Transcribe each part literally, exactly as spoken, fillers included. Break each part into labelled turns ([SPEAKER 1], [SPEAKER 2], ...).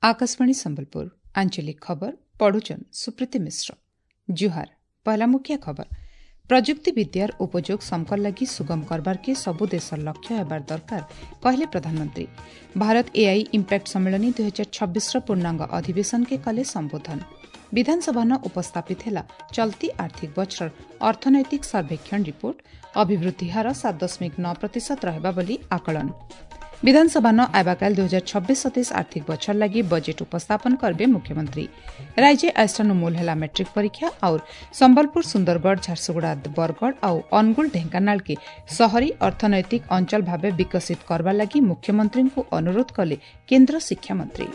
[SPEAKER 1] आकाशवाणी संबलपुर आंचलिक खबर पढ़ुचन सुप्रीति मिश्र। जुहार। पहला मुख्य खबर, प्रजुक्ति विद्यार उपयोग समकर लगी सुगम करबार के सबु देशर लक्ष्य हेबार दरकार कहले प्रधानमंत्री। भारत एआई इम्पैक्ट सम्मेलनी दुई हजार छब्बीस पूर्णांग अधिवेशन के कले संबोधन। विधानसभा न उपस्थापित ହେଲା चलती आर्थिक बछर अर्थनैतिक सर्वेक्षण रिपोर्ट। अभिवृद्धि हार सात दशमिक नौ प्रतिशत रहेबा बोली आकलन। विधानसभा न आबाकाल दुई हजार छब्बीस सतेइस आर्थिक बछर लागि बजेट उपस्थापन करबे मुख्यमंत्री। राज्य आइस्टानु मूल ହେଲା मैट्रिक परीक्षा और संबलपुर, सुंदरगढ़, झारसुगुड़ा, बरगढ़ और अनुगुल, ढेंकानाल के शहरी अर्थनैतिक अंचल भावे विकसित करवा लागि मुख्यमंत्री को अनुरोध कले केन्द्र शिक्षा मंत्री।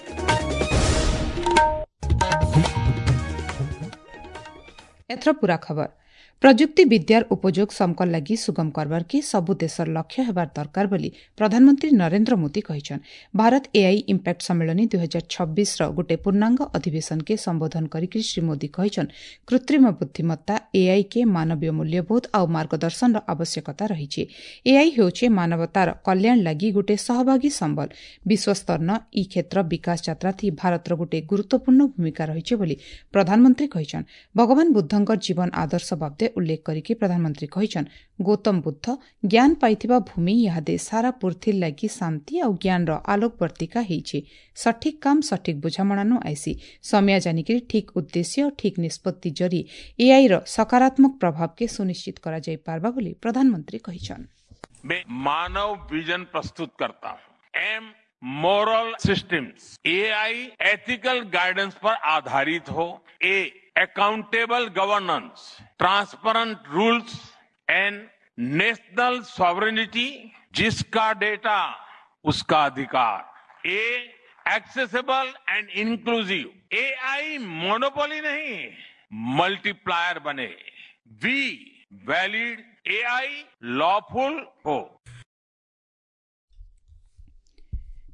[SPEAKER 1] एथर पूरा खबर। प्रजुक्ति विद्यार उपयोग समकर लागि सुगम करबार के सबु देशर लक्ष्य हेबार दरकार बोली प्रधानमंत्री नरेंद्र मोदी कहिछन। भारत एआई इम्पैक्ट सम्मेलनी दुई हजार छब्बीस र गोटे पूर्णांग अधिवेशन के संबोधन करिकरि श्री मोदी कहिछन, कृत्रिम बुद्धिमत्ता एआई के मानवीय मूल्यबोध आउ मार्गदर्शन र आवश्यकता रहिछि। एआई हेउछे मानवतार कल्याण लागि गोटे सहभागी सम्बल। विश्वस्तर न ई क्षेत्र विकास यात्रा थी भारत र गोटे गुरुत्वपूर्ण भूमिका रहिछि बोली प्रधानमंत्री कहिछन। भगवान बुद्धंकर जीवन आदर्श बाबदे उल्लेख करिकि प्रधानमंत्री कहिछन, गौतम बुद्ध ज्ञान पाइथिबा भूमि इहादे सारा पृथ्वी लागि शांति आउ ज्ञान र आलोकवर्तिका हेइछि। सठिक काम सठिक बुझामणानु आइसी समय जानिकरि ठीक उद्देश्य और ठीक निष्पत्ति जरी एआई र सकारात्मक प्रभाव के सुनिश्चित करा जाई पारबा बोली प्रधानमंत्री कहिछन।
[SPEAKER 2] मैं मानव विजन प्रस्तुत करता हूं। M moral systems, AI ethical guidance पर आधारित हो, A accountable governance, transparent rules and national sovereignty, जिसका डेटा उसका अधिकार, A accessible and inclusive, AI monopoly नहीं मल्टीप्लायर बने, we valid AI lawful हो।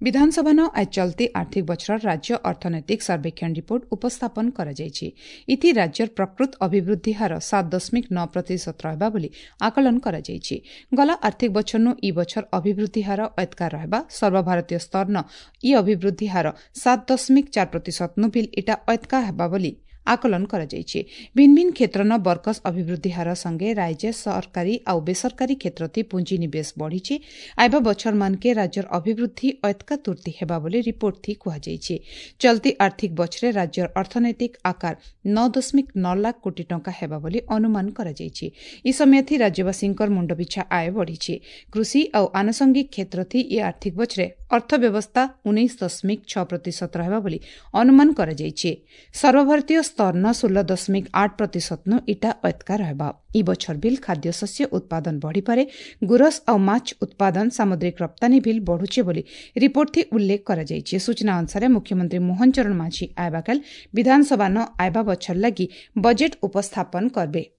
[SPEAKER 1] विधानसभा न आज चलती आर्थिक बछर राज्य अर्थनैतिक सर्वेक्षण रिपोर्ट उपस्थापन କରାଯାଇଛି। इति राज्यर प्रकृत अभिवृद्धि हार सात दशमिक नौ प्रतिशत रहेबा बोली आकलन କରାଯାଇଛି। गला आर्थिक बछरनु ई बछर अभिवृद्धि हार एतका रहेबा। सर्वभारतीय स्तर न ई अभिवृद्धि हार सात दशमिक चार प्रतिशत नु बिल इटा एतका हेबा बोली आकलन କରାଯାଇଛି। भिन्न भिन्न क्षेत्र न बरकस अभिवृद्धि हार संगे राज्य सरकारी आउ बेसरकारी क्षेत्र ती पूंजी निवेश बढ़िछि। आइबा बछर मान के राज्यर अभिवृद्धि एतका तुर्ती हेबा बोली रिपोर्ट थी कुहाଯାଇଛି। चलती आर्थिक बछरे राज्यर अर्थनैतिक आकार नौ दशमिक नौ लाख कोटी टंका हेबा बोली अनुमान କରାଯାଇଛି। ई समय थी राज्यवासींकर मुंडपिछा आय बढ़िछि। कृषि आउ आनुषंगिक क्षेत्र थी ई आर्थिक बछरे अर्थव्यवस्था उन्नीस दशमिक छह प्रतिशत रहेबा बोली अनुमान କରାଯାଇଛି। सर्वभारतीय स्तर न षोल दशमिक आठ प्रतिशत नु इटा एतका रहेबा। ई बछर बिल खाद्य शस्य उत्पादन बढ़िपारे। गुरस आउ माछ उत्पादन सामुद्रिक रप्तानी बिल बढ़ुचे बोली रिपोर्ट थी उल्लेख କରାଯାଇଛି। सूचना अनुसार मुख्यमंत्री मोहन चरण माझी आयबाकाल विधानसभा न आयबा बछर लागि बजेट उपस्थापन करबे।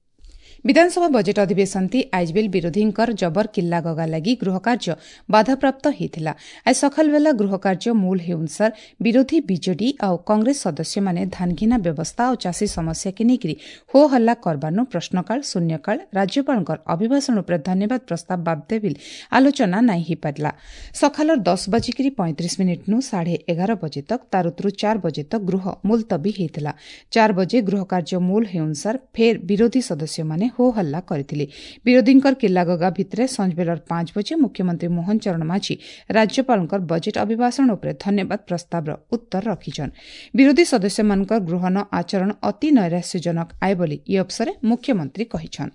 [SPEAKER 1] विधानसभा बजेट अधिवेशन ती आइज बिल विरोधींकर जबर किल्ला गगा लागि गृहकार्य बाधाप्राप्त होइथिला। आज सकाल बेला गृहकार्य मूल हेउनसार विरोधी बीजेडी आउ कांग्रेस सदस्य माने धानघिना व्यवस्था और चाषी समस्या के नेकरी हो हल्ला करबानु प्रश्नकाल, शून्यकाल, राज्यपालंकर अभिभाषण उपरे धन्यवाद प्रस्ताव बाबदे बिल आलोचना नाई हिपारला। सकालर दस बजिकरी पैंतीस मिनिट नु साढ़े एगार बजे तक तारुत्रु चार बजे तक गृह मुलतबी होइथिला। चार बजे गृहकार्य मूल हेउनसार फेर विरोधी सदस्य माने हो हल्ला କରିଥିଲେ। विरोधीଙ୍କର किल्लागगा भितरे संजबेलर पांच बजे मुख्यमंत्री मोहन चरण माझी राज्यपालଙ୍କର बजेट अभिभाषण उपरे धन्यवाद प्रस्तावर उत्तर रखिछन। विरोधी सदस्यମାନଙ୍କର गृहन आचरण अति नैराश्यजनक आए बोली इ अवसरे मुख्यमंत्री कहिछन।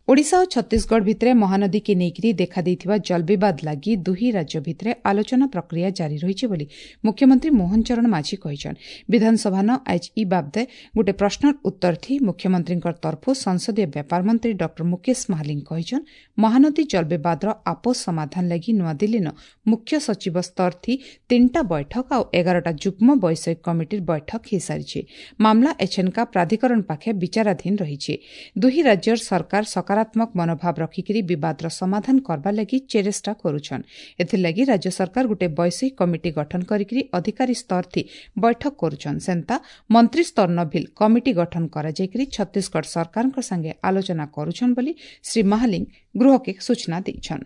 [SPEAKER 1] ओडिशा और छत्तीसगढ़ भितरे महानदी के नेकरी देखा देइथिबा जल विवाद लागि दुही राज्य भितरे आलोचना प्रक्रिया जारी रहिछि बोली मुख्यमंत्री मोहन चरण माझी कहिछन। विधानसभा न आज ई बाबदे गोटे प्रश्नर उत्तर थी मुख्यमंत्रींकर तरफु संसदीय व्यापार मंत्री डॉक्टर मुकेश महालिंग कहिछन, महानदी जल विवादर आपस समाधान लागि नयादिल्ली न मुख्य सचिव स्तर थी तीनटा बैठक आउ एगारटा जुग्म वैषयिक कमिटीर बैठक हिसारिछि। मामला एछेनका प्राधिकरण पाखे विचाराधीन रहिछि। दुही राज्यर सरकार सकारात्मक ସକାରାତ୍ମକ ମନୋଭାବ ରଖିକିରି ବିବାଦର ସମାଧାନ କରବା ଲାଗି ଚେଷ୍ଟା କରୁଛନ୍। ଏଥିର୍ଲାଗି ରାଜ୍ୟ ସରକାର ଗୋଟେ ବୈଷୟିକ କମିଟି ଗଠନ କରିକିରି ଅଧିକାରୀ ସ୍ତରଥି ବୈଠକ କରୁଛନ୍। ସେନ୍ତା ମନ୍ତ୍ରୀ ସ୍ତରନ ଭିଲ୍ କମିଟି ଗଠନ କରାଯାଇକିରି ଛତିଶଗଡ଼ ସରକାରଙ୍କ ସାଙ୍ଗେ ଆଲୋଚନା କରୁଛନ୍ ବୋଲି ଶ୍ରୀ ମହାଲିଙ୍ଗ ଗୃହକେ ସୂଚନା ଦେଇଛନ୍।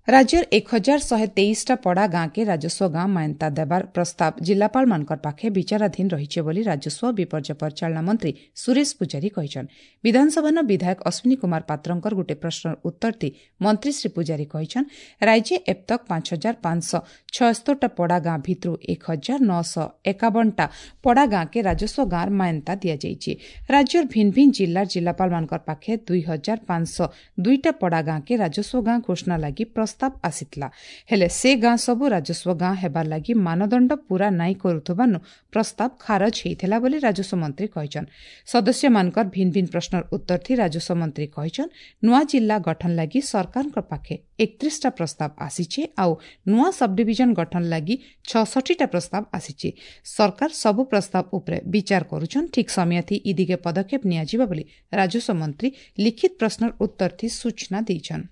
[SPEAKER 1] ରାଜ୍ୟର ଏକ ହଜାର ଶହେ ତେଇଶଟା ପଡ଼ା ଗାଁକେ ରାଜସ୍ୱ ଗାଁ ମାନ୍ୟତା ଦେବାର ପ୍ରସ୍ତାବ ଜିଲ୍ଲାପାଳମାନଙ୍କର ପାଖେ ବିଚାରାଧୀନ ରହିছে ବୋଲି ରାଜସ୍ୱ ବିପର୍ଯ୍ୟୟ ପରିଚାଳନା ମନ୍ତ୍ରୀ ସୁରେଶ ପୂଜାରୀ କହିଛନ୍। ବିଧାନସଭାନ ବିଧାୟକ ଅଶ୍ୱିନୀ କୁମାର ପାତ୍ରଙ୍କର ଗୋଟିଏ ପ୍ରଶ୍ନର ଉତ୍ତର ଦେଇ ମନ୍ତ୍ରୀ ଶ୍ରୀ ପୂଜାରୀ କହିଛନ୍, ରାଜ୍ୟ ଏବତକ ପାଞ୍ଚ ହଜାର ପାଞ୍ଚଶହ ଛୟସ୍ତରଟା ପଡ଼ା ଗାଁ ଭିତରୁ ଏକ ହଜାର ନଅଶହ ଏକାବନଟା ପଡ଼ା ଗାଁକେ ରାଜସ୍ୱ ଗାଁର ମାନ୍ୟତା ଦିଆଯାଇଛି। ରାଜ୍ୟର ଭିନ୍ନ ଭିନ୍ନ ଜିଲ୍ଲାର ଜିଲ୍ଲାପାଳମାନଙ୍କର ପାଖେ ଦୁଇ ହଜାର ପାଞ୍ଚଶହ ଦୁଇଟା ପଡ଼ା ଗାଁକେ ରାଜସ୍ୱ ଗାଁ ଘୋଷଣା ଲାଗି ପ୍ରସ୍ତାବ ଆସିଥିଲା। ହେଲେ ସେ ଗାଁ ସବୁ ରାଜସ୍ୱ ଗାଁ ହେବାର ଲାଗି ମାନଦଣ୍ଡ ପୂରା ନାଇଁ କରୁଥିବାରୁ ପ୍ରସ୍ତାବ ଖାରଜ ହେଇଥିଲା ବୋଲି ରାଜସ୍ୱ ମନ୍ତ୍ରୀ କହିଛନ୍। ସଦସ୍ୟମାନଙ୍କର ଭିନ୍ନ ଭିନ୍ନ ପ୍ରଶ୍ନର ଉତ୍ତର ଥି ରାଜସ୍ୱ ମନ୍ତ୍ରୀ କହିଛନ୍, ନୂଆ ଜିଲ୍ଲା ଗଠନ ଲାଗି ସରକାରଙ୍କ ପାଖେ ଏକତିରିଶଟା ପ୍ରସ୍ତାବ ଆସିছে ଆଉ ନୂଆ ସବଡିଭିଜନ ଗଠନ ଲାଗି ଛଅଷଠିଟା ପ୍ରସ୍ତାବ ଆସିଛି। ସରକାର ସବୁ ପ୍ରସ୍ତାବ ଉପରେ ବିଚାର କରୁଛନ୍, ଠିକ୍ ସମୟଥି ଇ ଦିଗେ ପଦକ୍ଷେପ ନିଆଯିବ ବୋଲି ରାଜସ୍ୱ ମନ୍ତ୍ରୀ ଲିଖିତ ପ୍ରଶ୍ନର ଉତ୍ତର ଥି ସୂଚନା ଦେଇଛନ୍।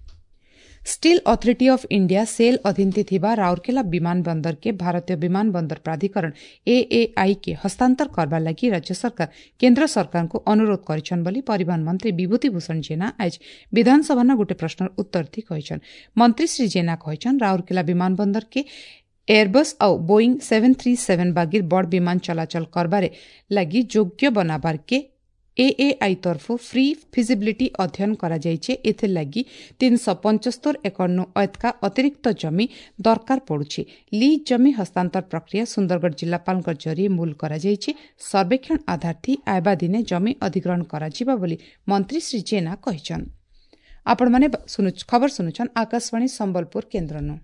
[SPEAKER 1] Steel authority of India SAIL ଅଧୀନରେ ଥିବା ରାଉରକେଲା ବିମାନ ବନ୍ଦରକେ ଭାରତୀୟ ବିମାନ ବନ୍ଦର ପ୍ରାଧିକରଣ ଏଏଆଇ କେ ହସ୍ତାନ୍ତର କରବା ଲାଗି ରାଜ୍ୟ ସରକାର କେନ୍ଦ୍ର ସରକାରଙ୍କୁ ଅନୁରୋଧ କରିଛନ୍ ବୋଲି ପରିବହନ ମନ୍ତ୍ରୀ ବିଭୂତି ଭୂଷଣ ଜେନା ଆଜ ବିଧାନସଭାନ ଗୋଟେ ପ୍ରଶ୍ନର ଉତ୍ତର ଥି କହିଛନ୍। ମନ୍ତ୍ରୀ ଶ୍ରୀ ଜେନା କହିଛନ୍, ରାଉରକେଲା ବିମାନ ବନ୍ଦରକେ ଏୟାରବସ୍ ଆଉ ବୋଇଂ ସେଭେନ୍ ଥ୍ରୀ ସେଭେନ୍ ବାଗିର ବଡ଼ ବିମାନ ଚଳାଚଳ କରବାରେ ଲାଗି ଯୋଗ୍ୟ ବନାବାରକେ ଏଏଆଇ ତରଫୁ ଫ୍ରି ଫିଜିବିଲିଟି ଅଧ୍ୟୟନ କରାଯାଇଛି। ଏଥିର୍ଲାଗି ତିନିଶହ ପଞ୍ଚସ୍ତର ଏକରନୁ ଅଏତକା ଅତିରିକ୍ତ ଜମି ଦରକାର ପଡୁଛି। ଲିଜ୍ ଜମି ହସ୍ତାନ୍ତର ପ୍ରକ୍ରିୟା ସୁନ୍ଦରଗଡ଼ ଜିଲ୍ଲାପାଳଙ୍କ ଜରିଏ ମୂଲ କରାଯାଇଛି। ସର୍ବେକ୍ଷଣ ଆଧାର ଥି ଆଇବା ଦିନେ ଜମି ଅଧିଗ୍ରହଣ କରାଯିବ ବୋଲି ମନ୍ତ୍ରୀ ଶ୍ରୀ ଜେନା କହିଛନ୍। ଆପଣମାନେ ଖବର ଶୁଣୁଛନ୍ ଆକାଶବାଣୀ ସମ୍ବଲପୁର କେନ୍ଦ୍ରନୁ।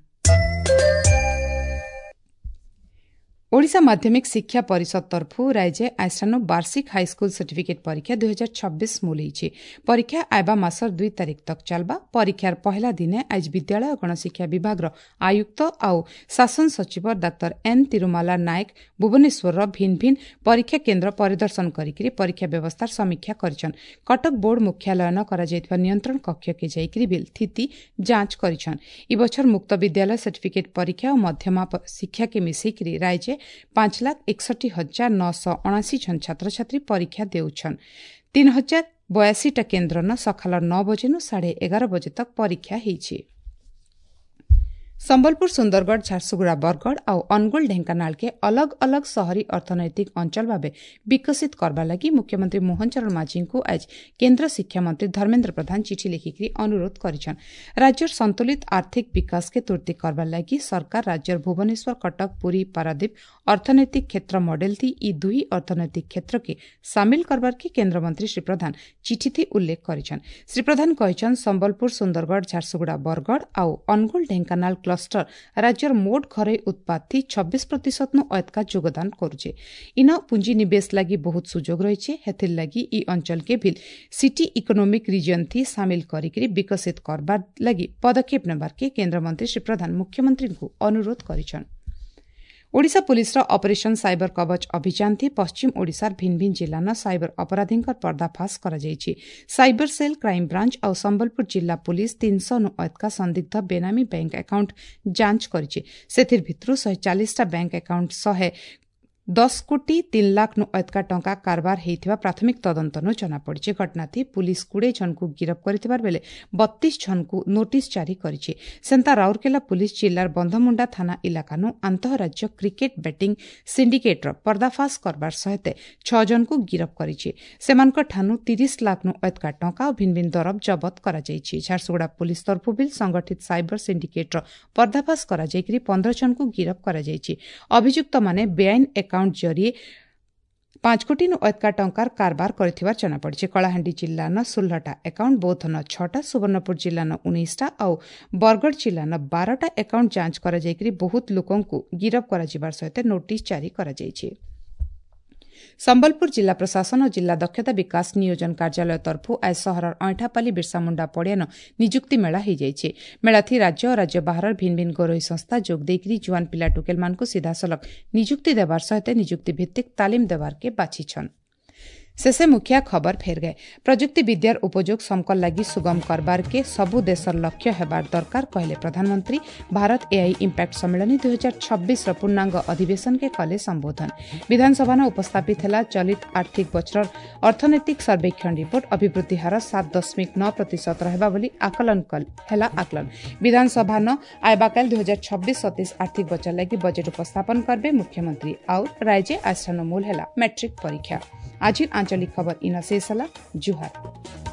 [SPEAKER 1] ଓଡ଼ିଶା ମାଧ୍ୟମିକ ଶିକ୍ଷା ପରିଷଦ ତରଫୁ ରାଜ୍ୟ ଆଇଷ୍ଠାନୁ ବାର୍ଷିକ ହାଇସ୍କୁଲ ସାର୍ଟିଫିକେଟ୍ ପରୀକ୍ଷା ଦୁଇ ହଜାର ଛବିଶ ମୂଲ ହେଇଛି। ପରୀକ୍ଷା ଆଇବା ମାସର ଦୁଇ ତାରିଖ ତକ ଚାଲବା। ପରୀକ୍ଷାର ପହଲା ଦିନେ ଆଜ ବିଦ୍ୟାଳୟ ଗଣଶିକ୍ଷା ବିଭାଗର ଆୟୁକ୍ତ ଆଉ ଶାସନ ସଚିବ ଡାକ୍ତର ଏନ୍ ତିରୁମାଲା ନାୟକ ଭୁବନେଶ୍ୱରର ଭିନ୍ନ ଭିନ୍ନ ପରୀକ୍ଷା କେନ୍ଦ୍ର ପରିଦର୍ଶନ କରିକି ପରୀକ୍ଷା ବ୍ୟବସ୍ଥାର ସମୀକ୍ଷା କରିଛନ୍। କଟକ ବୋର୍ଡ ମୁଖ୍ୟାଳୟନ କରାଯାଇଥିବା ନିୟନ୍ତ୍ରଣ କକ୍ଷକେ ଯାଇକରି ବିଲ୍ ସ୍ଥିତି ଯାଞ୍ଚ କରିଛନ୍। ଇ ବଛର ମୁକ୍ତ ବିଦ୍ୟାଳୟ ସାର୍ଟିଫିକେଟ୍ ପରୀକ୍ଷା ଓ ମଧ୍ୟମା ଶିକ୍ଷାକେ ମିଶେଇକରି ରାଜ୍ୟ ପାଞ୍ଚ ଲାଖ ଏକଷଠି ହଜାର ନଅଶହ ଅଣାଅଶୀ ଜଣ ଛାତ୍ରଛାତ୍ରୀ ପରୀକ୍ଷା ଦେଉଛନ୍। ତିନି ହଜାର ବୟାଅଶୀଟା କେନ୍ଦ୍ରନ ସକାଳ ନଅ ବଜେନୁ ସାଢ଼େ ଏଗାର ବଜେ ତକ ପରୀକ୍ଷା ହେଇଛି। ସମ୍ବଲପୁର, ସୁନ୍ଦରଗଡ଼, ଝାରସୁଗୁଡ଼ା, ବରଗଡ଼ ଆଉ ଅନୁଗୁଳ, ଢେଙ୍କାନାଳକେ ଅଲଗ ଅଲଗ ସହରୀ ଅର୍ଥନୈତିକ ଅଞ୍ଚଳ ଭାବେ ବିକଶିତ କରବା ଲାଗି ମୁଖ୍ୟମନ୍ତ୍ରୀ ମୋହନ ଚରଣ ମାଝୀଙ୍କୁ ଆଜ କେନ୍ଦ୍ର ଶିକ୍ଷାମନ୍ତ୍ରୀ ଧର୍ମେନ୍ଦ୍ର ପ୍ରଧାନ ଚିଠି ଲେଖିକରି ଅନୁରୋଧ କରିଛନ୍। ରାଜ୍ୟର ସନ୍ତୁଳିତ ଆର୍ଥିକ ବିକାଶକେ ତୁର୍ତି କରବା ଲାଗି ସରକାର ରାଜ୍ୟର ଭୁବନେଶ୍ୱର, କଟକ, ପୁରୀ, ପାରାଦୀପ ଅର୍ଥନୈତିକ କ୍ଷେତ୍ର ମଡେଲ ଥି ଇ ଦୁହି ଅର୍ଥନୈତିକ କ୍ଷେତ୍ରକେ ସାମିଲ କରବାର୍କେ କେନ୍ଦ୍ରମନ୍ତ୍ରୀ ଶ୍ରୀ ପ୍ରଧାନ ଚିଠିଥି ଉଲ୍ଲେଖ କରିଛନ୍। ଶ୍ରୀ ପ୍ରଧାନ କହିଛନ୍, ସମ୍ବଲପୁର, ସୁନ୍ଦରଗଡ଼, ଝାରସୁଗୁଡ଼ା, ବରଗଡ଼ ଆଉ ଅନୁଗୁଳ, ଢେଙ୍କାନାଳ କ୍ଲଷ୍ଟର ରାଜ୍ୟର ମୋଟ ଘରୋଇ ଉତ୍ପାଦ ଥି ଛବିଶ ପ୍ରତିଶତନୁ ଅଏତକା ଯୋଗଦାନ କରୁଛେ। ଇନ ପୁଞ୍ଜି ନିବେଶ ଲାଗି ବହୁତ ସୁଯୋଗ ରହିଛେ। ହେଥିର୍ ଲାଗି ଇ ଅଞ୍ଚଳକେ ଭିଲ୍ ସିଟି ଇକୋନୋମିକ ରିଜିଅନ ଥି ସାମିଲ କରିକିରି ବିକଶିତ କରବାର ଲାଗି ପଦକ୍ଷେପ ନେବାର୍କେ କେନ୍ଦ୍ରମନ୍ତ୍ରୀ ଶ୍ରୀ ପ୍ରଧାନ ମୁଖ୍ୟମନ୍ତ୍ରୀଙ୍କୁ ଅନୁରୋଧ କରିଛନ୍। ଓଡ଼ିଶା ପୁଲିସର ଅପରେସନ ସାଇବର କବଚ ଅଭିଯାନ ଥି ପଶ୍ଚିମ ଓଡ଼ିଶାର ଭିନ୍ନ ଭିନ୍ନ ଜିଲ୍ଲାନ ସାଇବର ଅପରାଧୀଙ୍କର ପର୍ଦ୍ଦାଫାଶ କରାଯାଇଛି। ସାଇବର ସେଲ୍, କ୍ରାଇମବ୍ରାଞ୍ଚ ଆଉ ସମ୍ବଲପୁର ଜିଲ୍ଲା ପୁଲିସ ତିନିଶହ ନୁ ଅଏତକା ସନ୍ଦିଗ୍ଧ ବେନାମୀ ବ୍ୟାଙ୍କ ଆକାଉଣ୍ଟ ଯାଞ୍ଚ କରିଛି। ସେଥିର ଭିତରୁ ଶହେ ଚାଳିଶଟା ବ୍ୟାଙ୍କ ଆକାଉଣ୍ଟ ଶହେ ଦଶ କୋଟି ତିନି ଲାଖ ନୁ ଅଏତକା ଟଙ୍କା କାରବାର ହେଇଥିବା ପ୍ରାଥମିକ ତଦନ୍ତନୁ ଜଣାପଡ଼ିଛି। ଘଟଣାଥି ପୁଲିସ କୋଡ଼ିଏ ଜଣଙ୍କୁ ଗିରଫ କରିଥିବାର ବେଳେ ବତିଶ ଜଣଙ୍କୁ ନୋଟିସ୍ ଜାରି କରିଛି। ସେନ୍ତା ରାଉରକେଲା ପୁଲିସ ଜିଲ୍ଲାର ବନ୍ଧମୁଣ୍ଡା ଥାନା ଇଲାକାନୁ ଆନ୍ତଃରାଜ୍ୟ କ୍ରିକେଟ ବେଟିଂ ସିଣ୍ଡିକେଟ୍ର ପର୍ଦ୍ଦାଫାଶ କରବାର ସହିତ ଛଅ ଜଣଙ୍କୁ ଗିରଫ କରିଛି। ସେମାନଙ୍କ ଠାନୁ ତିରିଶ ଲାଖ ନୁ ଅଏତକା ଟଙ୍କା ଓ ଭିନ୍ନ ଭିନ୍ନ ଦରବ ଜବତ କରାଯାଇଛି। ଝାରସୁଗୁଡ଼ା ପୁଲିସ ତରଫୁ ବିଲ୍ ସଂଗଠିତ ସାଇବର ସିଣ୍ଡିକେଟ୍ର ପର୍ଦ୍ଦାଫାଶ କରାଯାଇକରି ପନ୍ଦର ଜଣଙ୍କୁ ଗିରଫ କରାଯାଇଛି। ଅଭିଯୁକ୍ତମାନେ ବେଆଇନ ଆକାଉଣ୍ଟ ଜରିଏ ପାଞ୍ଚ କୋଟି ନୁ ଅଏତକା ଟଙ୍କାର କାରବାର କରିଥିବାର ଜଣାପଡ଼ିଛି। କଳାହାଣ୍ଡି ଜିଲ୍ଲାନ ଷୋହଳଟା ଆକାଉଣ୍ଟ, ବୌଦ୍ଧନ ଛଅଟା, ସୁବର୍ଣ୍ଣପୁର ଜିଲ୍ଲାନ ଉଣେଇଶଟା ଆଉ ବରଗଡ଼ ଜିଲ୍ଲାନ ବାରଟା ଆକାଉଣ୍ଟ ଯାଞ୍ଚ କରାଯାଇକରି ବହୁତ ଲୋକଙ୍କୁ ଗିରଫ କରାଯିବାର ସହିତ ନୋଟିସ୍ ଜାରି କରାଯାଇଛି। ସମ୍ବଲପୁର ଜିଲ୍ଲା ପ୍ରଶାସନ ଓ ଜିଲ୍ଲା ଦକ୍ଷତା ବିକାଶ ନିୟୋଜନ କାର୍ଯ୍ୟାଳୟ ତରଫୁ ଆଜ ସହରର ଅଇଁଠାପାଲି ବିର୍ସାମୁଣ୍ଡା ପଡ଼ିଆନ ନିଯୁକ୍ତି ମେଳା ହୋଇଯାଇଛି। ମେଳାଥି ରାଜ୍ୟ ଓ ରାଜ୍ୟ ବାହାରର ଭିନ୍ନ ଭିନ୍ନ ଘରୋଇ ସଂସ୍ଥା ଯୋଗ ଦେଇକରି ଜୁଆନ ପିଲା ଟୁକେଲମାନଙ୍କୁ ସିଧାସଳଖ ନିଯୁକ୍ତି ଦେବାର ସହିତ ନିଯୁକ୍ତି ଭିତ୍ତିକ ତାଲିମ ଦେବାରକେ ବାଛିଛନ୍। ଶେଷେ ମୁଖିଆ ଖବର ଫେର ଗଏ। ପ୍ରଯୁକ୍ତି ବିଦ୍ୟାର ଉପଯୋଗ ସମକର ଲାଗି ସୁଗମ କରବାର କେ ସବୁ ଦେଶର ଲକ୍ଷ୍ୟ ହେବାର ଦରକାର କହିଲେ ପ୍ରଧାନମନ୍ତ୍ରୀ। ଭାରତ ଏଆଇ ଇମ୍ପାକ୍ଟ ସମ୍ମିଳନୀ ଦୁଇ ହଜାର ଛବିଶର ପୂର୍ଣ୍ଣାଙ୍ଗ ଅଧିବେଶନକେ କଲେ ସମ୍ବୋଧନ। ବିଧାନସଭାନ ଉପସ୍ଥାପିତ ହେଲା ଚଳିତ ଆର୍ଥିକ ବଛରର ଅର୍ଥନୈତିକ ସର୍ବେକ୍ଷଣ ରିପୋର୍ଟ। ଅଭିବୃଦ୍ଧି ହାର ସାତ ଦଶମିକ ନଅ ପ୍ରତିଶତ ରହିବା ବୋଲି ଆକଳନ ହେଲା ଆକଳନ। ବିଧାନସଭାନ ଆଇବାକାଲ ଦୁଇ ହଜାର ଛବିଶ ସତେଇଶ ଆର୍ଥିକ ବଛର ଲାଗି ବଜେଟ୍ ଉପସ୍ଥାପନ କରବେ ମୁଖ୍ୟମନ୍ତ୍ରୀ। ଆଉ ରାଜ୍ୟ ଆସ୍ଥାନ ମୂଲ ହେଲା ମେଟ୍ରିକ ପରୀକ୍ଷା। ଆଜିର ଆଞ୍ଚଳିକ ଖବର ଇନ ଶେଷ ହେଲା। ଜୁହାର।